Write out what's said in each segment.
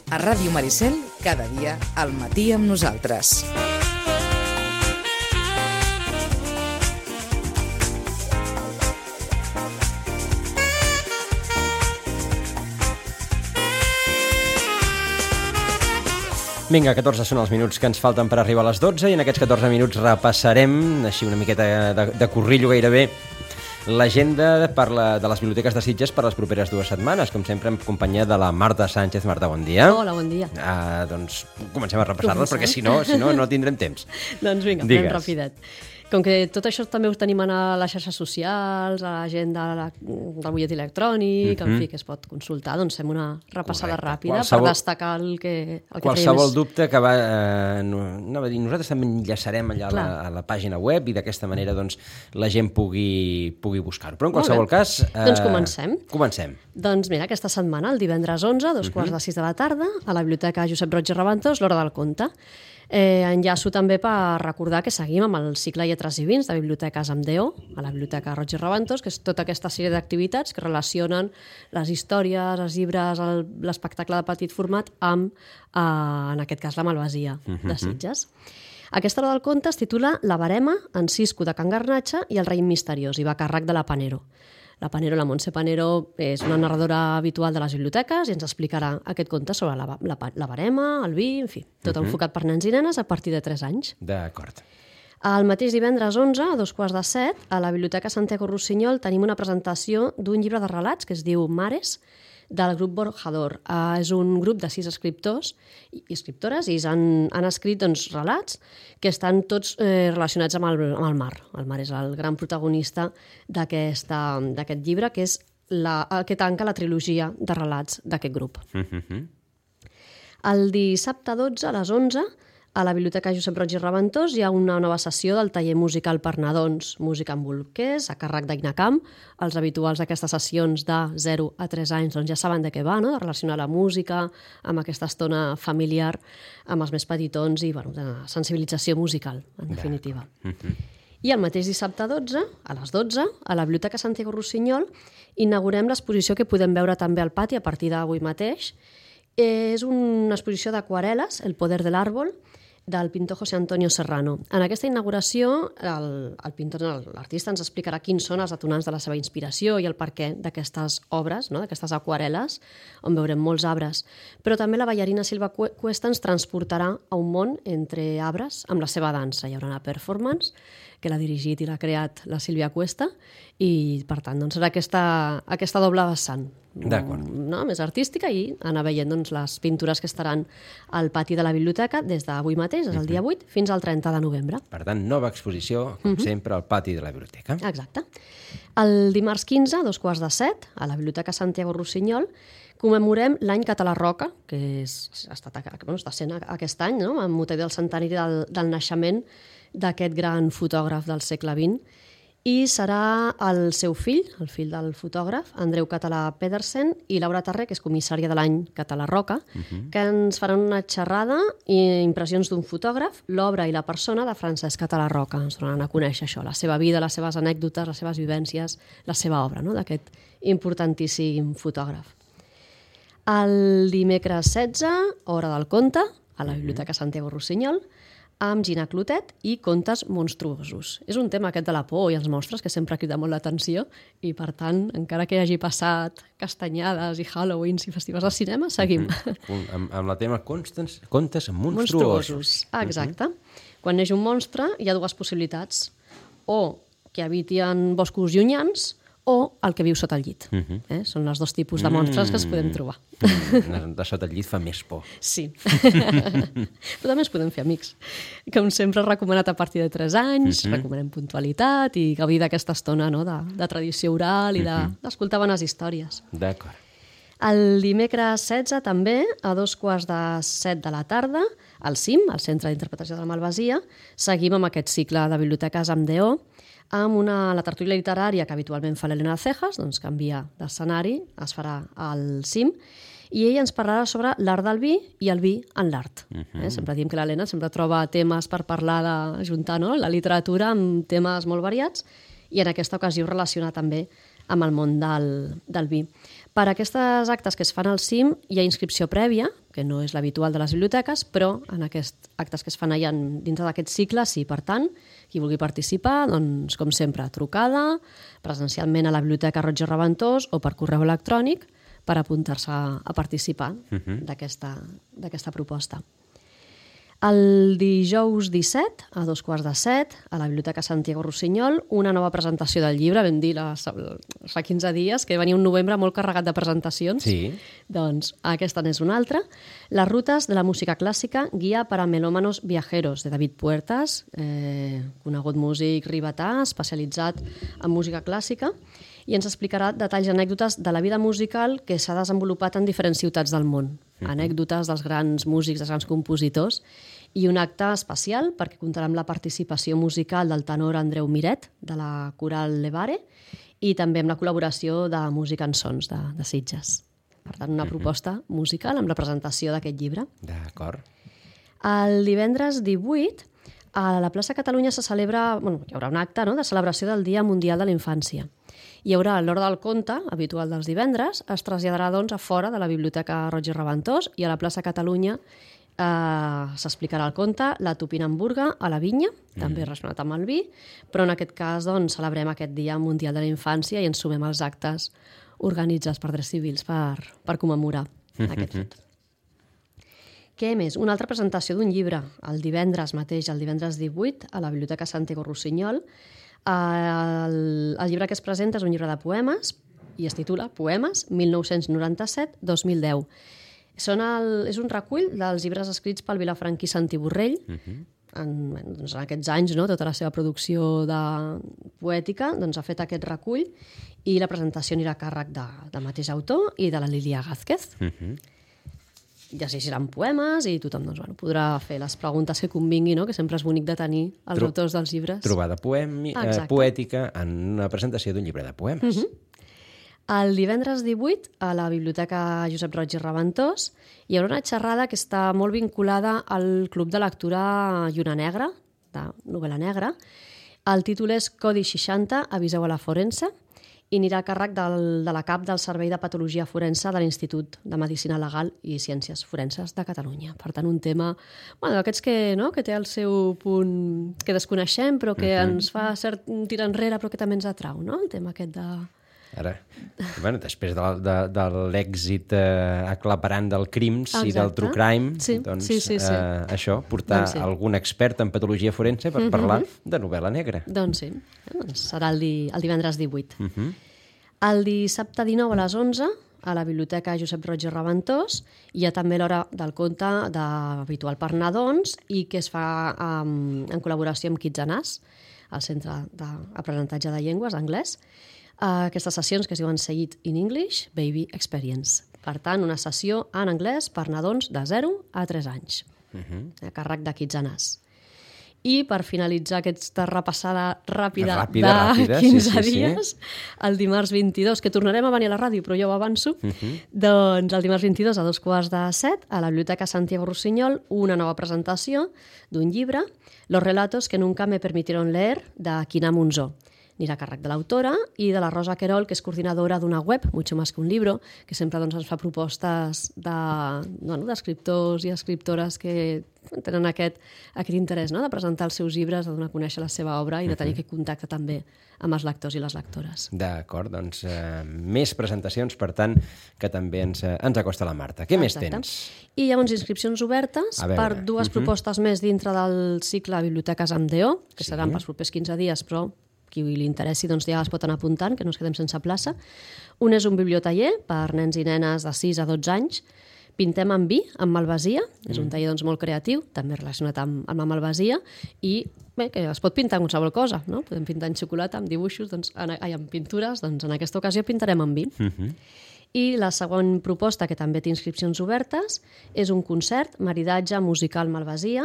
A Ràdio Maricel, cada dia al matí amb nosaltres. Vinga, 14 són els minuts que ens falten per arribar a les 12 i en aquests 14 minuts repassarem, així una miqueta de corrillo gairebé, l'agenda de les biblioteques de Sitges per les properes 2 setmanes, com sempre en companyia de la Marta Sánchez. Marta, bon dia. Hola, bon dia. Doncs comencem a repassar-les perquè si no tindrem temps. Doncs vinga, fem rapidet. Com que tot això també ho tenim a les xarxes socials, a l'agenda del butlletí electrònic, en fi, que es pot consultar, doncs fem una repassada ràpida per destacar el que qualsevol dubte que nosaltres també enllaçarem allà a la pàgina web i d'aquesta manera doncs, la gent pugui buscar-ho. Però en qualsevol cas... Doncs comencem. Comencem. Doncs mira, aquesta setmana, el divendres 11, 2:45 de la tarda, a la Biblioteca Josep Roig i Raventós, l'Hora del Conte. Enllaço també per recordar que seguim amb el cicle Lletres i Vins de Biblioteques amb DO, a la Biblioteca Roig i Raventós, que és tota aquesta sèrie d'activitats que relacionen les històries, els llibres, l'espectacle de petit format amb, en aquest cas, la Malvasia de Sitges. Aquesta Hora del Conte es titula La Verema, en Cisco de Can Garnatxa i el raïm misteriós, i va a càrrec de la Panero. La Montse Panero, és una narradora habitual de les biblioteques i ens explicarà aquest conte sobre la verema, el vi, en fi, tot enfocat per nens i nenes a partir de 3 anys. D'acord. El mateix divendres 11, a 2:15, a la Biblioteca Santiago Rossinyol tenim una presentació d'un llibre de relats que es diu Mares, del grup Borjador. És un grup de 6 escriptors i escriptores i han escrit relats que estan tots relacionats amb el mar. El mar és el gran protagonista d'aquest llibre, que és el que tanca la trilogia de relats d'aquest grup. El dissabte 12, a les 11, a la Biblioteca Josep Roig i Raventós hi ha una nova sessió del taller musical per nadons, música amb bolquers, a càrrec d'Ainacamp. Els habituals d'aquestes sessions de 0 a 3 anys ja saben de què va, de relacionar la música amb aquesta estona familiar, amb els més petitons i de sensibilització musical, en definitiva. I el mateix dissabte 12, a les 12, a la Biblioteca Santiago Rossinyol, inaugurem l'exposició que podem veure també al pati a partir d'avui mateix. És una exposició d'aquarel·les, El poder de l'àrbol, del pintor José Antonio Serrano. En aquesta inauguració, l'artista ens explicarà quins són els detonants de la seva inspiració i el perquè d'aquestes obres, d'aquestes aquarel·les, on veurem molts arbres. Però també la ballarina Silva Cuesta ens transportarà a un món entre arbres amb la seva dansa. Hi haurà una performance que l'ha dirigit i l'ha creat la Sílvia Cuesta i, per tant, serà aquesta doble vessant. Més artística i anar veient les pintures que estaran al pati de la biblioteca des d'avui mateix, és el dia 8, fins al 30 de novembre. Per tant, nova exposició, com sempre, al pati de la biblioteca. Exacte. El dimarts 15, a 2:15, a la Biblioteca Santiago Rossinyol, commemorem l'any Català Roca, que està sent aquest any, amb motiu del centenari del naixement d'aquest gran fotògraf del segle XX, i serà el seu fill, el fill del fotògraf, Andreu Català Pedersen, i Laura Tarré, que és comissària de l'any Català Roca, que ens faran una xerrada i impressions d'un fotògraf, l'obra i la persona de Francesc Català Roca. Ens donaran a conèixer això, la seva vida, les seves anècdotes, les seves vivències, la seva obra, d'aquest importantíssim fotògraf. El dimecres 16, Hora del Conte, a la Biblioteca Santiago Rossinyol, amb Gina Clotet i Contes monstruosos. És un tema aquest de la por i els monstres que sempre crida molt l'atenció i, per tant, encara que hagi passat castanyades i Halloweens i festivals de cinema, seguim. Amb el tema contes monstruosos. Exacte. Quan neix un monstre hi ha 2 possibilitats. O que habiti en boscos llunyans o el que viu sota el llit. Són els 2 tipus de monstres que es podem trobar. De sota el llit fa més por. Sí. Però també es podem fer amics. Com sempre, recomanat a partir de 3 anys, recomanem puntualitat i gaudir d'aquesta estona de tradició oral i d'escoltar bones històries. D'acord. El dimecres 16, també, a 2:15 de la tarda, al CIM, al Centre d'Interpretació de la Malvasia, seguim amb aquest cicle de biblioteques amb DO, amb la tertúlia literària que habitualment fa l'Helena Cejas, canvia d'escenari, es farà al CIM, i ella ens parlarà sobre l'art del vi i el vi en l'art. Sempre diem que l'Helena sempre troba temes per parlar d'ajuntar la literatura amb temes molt variats, i en aquesta ocasió relacionar també amb el món del vi. Per aquestes actes que es fan al CIM hi ha inscripció prèvia, que no és l'habitual de les biblioteques, però en aquests actes que es fan allà dins d'aquest cicle, sí, per tant, qui vulgui participar, doncs, com sempre, trucada, presencialment a la Biblioteca Roig i Reventós o per correu electrònic per apuntar-se a participar d'aquesta proposta. El dijous 17, a 6:15, a la Biblioteca Santiago Rossinyol, una nova presentació del llibre. Vam dir fa 15 dies que venia un novembre molt carregat de presentacions. Sí. Doncs aquesta n'és una altra. Les rutes de la música clàssica, guia per a melòmanos viajeros, de David Puertas, conegut músic ribetà, especialitzat en música clàssica, i ens explicarà detalls i anècdotes de la vida musical que s'ha desenvolupat en diferents ciutats del món. Anècdotes dels grans músics, dels grans compositors, i un acte especial perquè comptarà amb la participació musical del tenor Andreu Miret, de la Coral Levare, i també amb la col·laboració de Música en Sons, de Sitges. Per tant, una proposta musical amb la presentació d'aquest llibre. D'acord. El divendres 18, a la plaça Catalunya hi haurà un acte de celebració del Dia Mundial de la Infància. Hi haurà l'hora del conte, habitual dels divendres, es traslladarà a fora de la Biblioteca Roig i Reventós, i a la plaça Catalunya s'explicarà el conte La Tupinamburga a la vinya, també relacionat amb el vi, però en aquest cas celebrem aquest Dia Mundial de la Infància i ens sumem als actes organitzats per Drets Civils per commemorar aquest fet. Què més? Una altra presentació d'un llibre, el divendres mateix, el divendres 18, a la Biblioteca Santiago Rossinyol. El llibre que es presenta és un llibre de poemes i es titula Poemes 1997-2010. És un recull dels llibres escrits pel vilafranquí Santi Borrell. En aquests anys, tota la seva producció poètica ha fet aquest recull, i la presentació anirà a càrrec del mateix autor i de la Lilia Gázquez. Ja seran poemes i tothom podrà fer les preguntes que convingui, que sempre és bonic de tenir els autors dels llibres. Trobada poètica en una presentació d'un llibre de poemes. El divendres 18, a la Biblioteca Josep Roig i Reventós, hi haurà una xerrada que està molt vinculada al Club de Lectura Lluna Negra, de novel·la negra. El títol és Codi 60, aviseu a la forense, i anirà a càrrec de la cap del Servei de Patologia Forense de l'Institut de Medicina Legal i Ciències Forenses de Catalunya. Per tant, un tema d'aquests que té el seu punt que desconeixem, però que ens fa cert tirar enrere, però que també ens atrau, el tema aquest de... Ara, després de l'èxit aclaparant del crims i del true crime, això, portar algun expert en patologia forense per parlar de novel·la negra. Doncs sí, serà el divendres 18. El dissabte 19 a les 11, a la Biblioteca Josep Roig i Reventós, hi ha també l'hora del conte habitual per nadons i que es fa en col·laboració amb Kids and Us, el Centre d'Aprenentatge de Llengües, anglès. Aquestes sessions que es diuen Say It in English, Baby Experience. Per tant, una sessió en anglès per nadons de 0 a 3 anys, a càrrec de Kids and Us. I per finalitzar aquesta repassada ràpida de 15 dies, el dimarts 22, que tornarem a venir a la ràdio, però jo ho avanço, doncs el dimarts 22 a 6:45, a la Biblioteca Santiago Rossinyol, una nova presentació d'un llibre, Los relatos que nunca me permitieron leer, de Quina Monzó. Anirà a càrrec de l'autora i de la Rosa Querol, que és coordinadora d'una web, Mucho más que un libro, que sempre ens fa propostes d'escriptors i escriptores que tenen aquest interès de presentar els seus llibres, de donar a conèixer la seva obra i de tenir aquest contacte també amb els lectors i les lectores. D'acord, doncs més presentacions, per tant, que també ens acosta la Marta. Què més tens? I llavors inscripcions obertes per dues propostes més dintre del cicle Biblioteques amb DO, que seran pels propers 15 dies, però qui li interessi ja es pot anar apuntant, que no es quedem sense plaça. Un és un bibliotaller per nens i nenes de 6 a 12 anys. Pintem amb vi, amb malvasia. És un taller molt creatiu, també relacionat amb la malvasia, i que es pot pintar amb qualsevol cosa. Podem pintar en xocolata, amb dibuixos, amb pintures, en aquesta ocasió pintarem amb vi. I la següent proposta, que també té inscripcions obertes, és un concert, maridatge musical malvasia,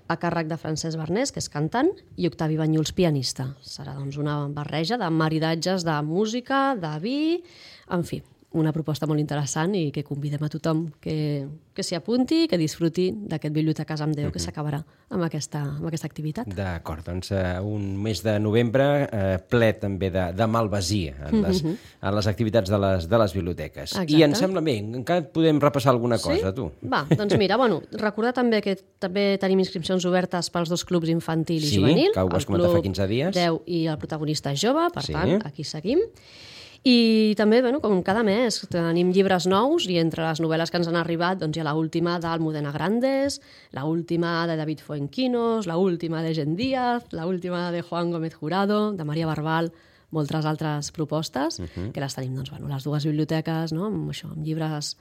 a càrrec de Francesc Bernés, que és cantant, i Octavi Banyuls, pianista. Serà una barreja de maridatges de música, de vi, en fi, una proposta molt interessant i que convidem a tothom que s'hi apunti i que disfruti d'aquest Biblioteques amb Déu que s'acabarà amb aquesta activitat. D'acord, doncs un mes de novembre ple també de malvasia en les activitats de les biblioteques. Exacte. I em sembla bé, encara podem repassar alguna cosa, tu. Va, doncs mira, recordar també que també tenim inscripcions obertes pels 2 clubs infantil i juvenil. Sí, que ho vas comentar fa 15 dies. El Club 10 i el protagonista jove, per tant, aquí seguim. I també, com cada mes, tenim llibres nous i entre les novel·les que ens han arribat hi ha l'última d'Almudena Grandes, l'última de David Fuenquinos, l'última de Gen Díaz, l'última de Juan Gómez Jurado, de Maria Barbal, moltes altres propostes que les tenim les 2 biblioteques, amb llibres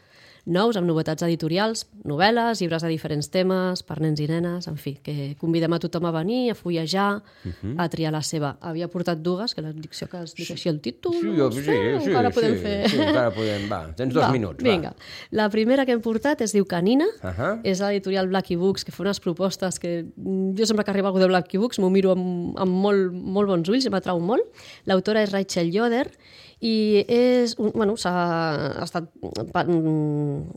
nous, amb novetats editorials, novel·les, llibres de diferents temes, per nens i nenes, en fi, que convidem a tothom a venir, a fullejar, a triar la seva. Havia portat 2, que la dicció que es dic així el títol, encara podem fer... Sí, encara podem, va, tens 2 minuts, va. Vinga, la primera que hem portat es diu Canina, és l'editorial Blacky Books, que fa unes propostes que jo sempre que arriba algú de Blacky Books m'ho miro amb molt bons ulls i m'atrau molt. L'autora és Rachel Yoder, i s'ha estat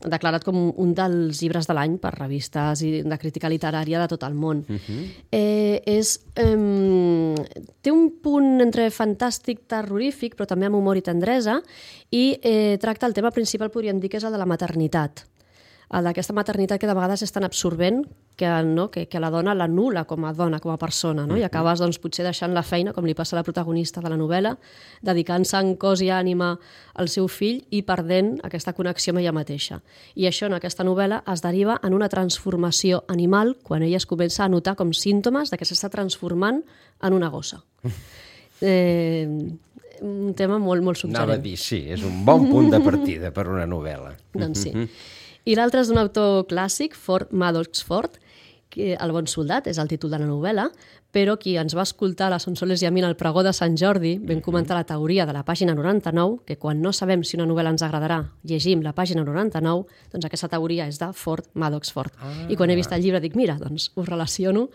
declarat com un dels llibres de l'any per revistes de crítica literària de tot el món. Té un punt entre fantàstic, terrorífic, però també amb humor i tendresa, i tracta el tema principal, podríem dir, que és el de la maternitat. El d'aquesta maternitat que de vegades és tan absorbent que la dona l'anul·la com a dona, com a persona, i acabes potser deixant la feina, com li passa a la protagonista de la novel·la, dedicant-se en cos i ànima al seu fill i perdent aquesta connexió amb ella mateixa. I això en aquesta novel·la es deriva en una transformació animal quan ella es comença a notar com símptomes de que s'està transformant en una gossa. Un tema molt suggerent. Anava a dir, sí, és un bon punt de partida per una novel·la. Doncs sí. I l'altre és d'un autor clàssic, Ford Madox Ford, que El bon soldat és el títol de la novel·la, però qui ens va escoltar a la Sonsoles i a mi en el pregó de Sant Jordi vam comentar la teoria de la pàgina 99, que quan no sabem si una novel·la ens agradarà, llegim la pàgina 99, doncs aquesta teoria és de Ford Madox Ford. I quan he vist el llibre dic, mira, doncs ho relaciono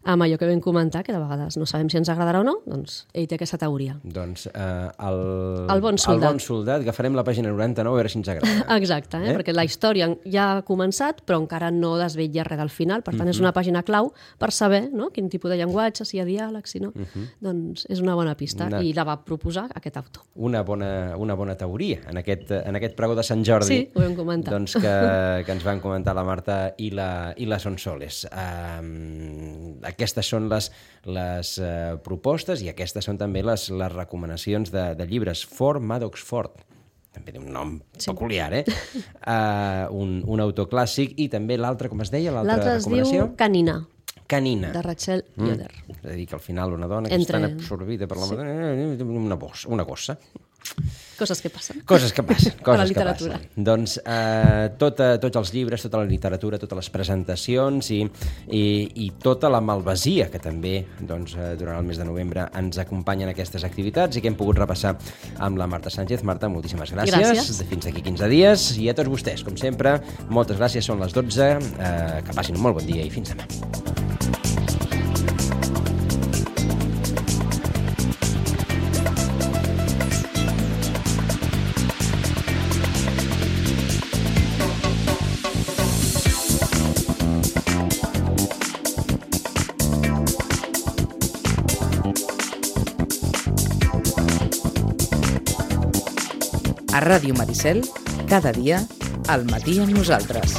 amb allò que vam comentar, que de vegades no sabem si ens agradarà o no, doncs ell té aquesta teoria. Doncs El bon soldat. El bon soldat, agafarem la pàgina 99 a veure si ens agrada. Exacte, perquè la història ja ha començat, però encara no desvetlla res del final, per tant és una pàgina clau per saber quin tipus de llenguatge, si hi ha diàleg, si no. Doncs és una bona pista i la va proposar aquest autor. Una bona teoria en aquest pregó de Sant Jordi. Sí, ho vam comentar. Doncs que ens van comentar la Marta i la Sonsoles. Aquestes són les propostes i aquestes són també les recomanacions de llibres. Ford Madox Ford. També té un nom peculiar, un autor clàssic. I també l'altre, com es deia, l'altra recomanació? L'altre es diu Canina. Canina. De Rachel Yoder. És a dir, que al final una dona que està absorbida per la una gossa. Coses que passen. Coses que passen. A la literatura. Doncs tots els llibres, tota la literatura, totes les presentacions i tota la malvasia que també durant el mes de novembre ens acompanyen aquestes activitats i que hem pogut repassar amb la Marta Sánchez. Marta, moltíssimes gràcies. Gràcies. Fins d'aquí 15 dies. I a tots vostès, com sempre, moltes gràcies. Són les 12. Que passin un molt bon dia i fins demà. A Ràdio Maricel, cada dia, al matí amb nosaltres.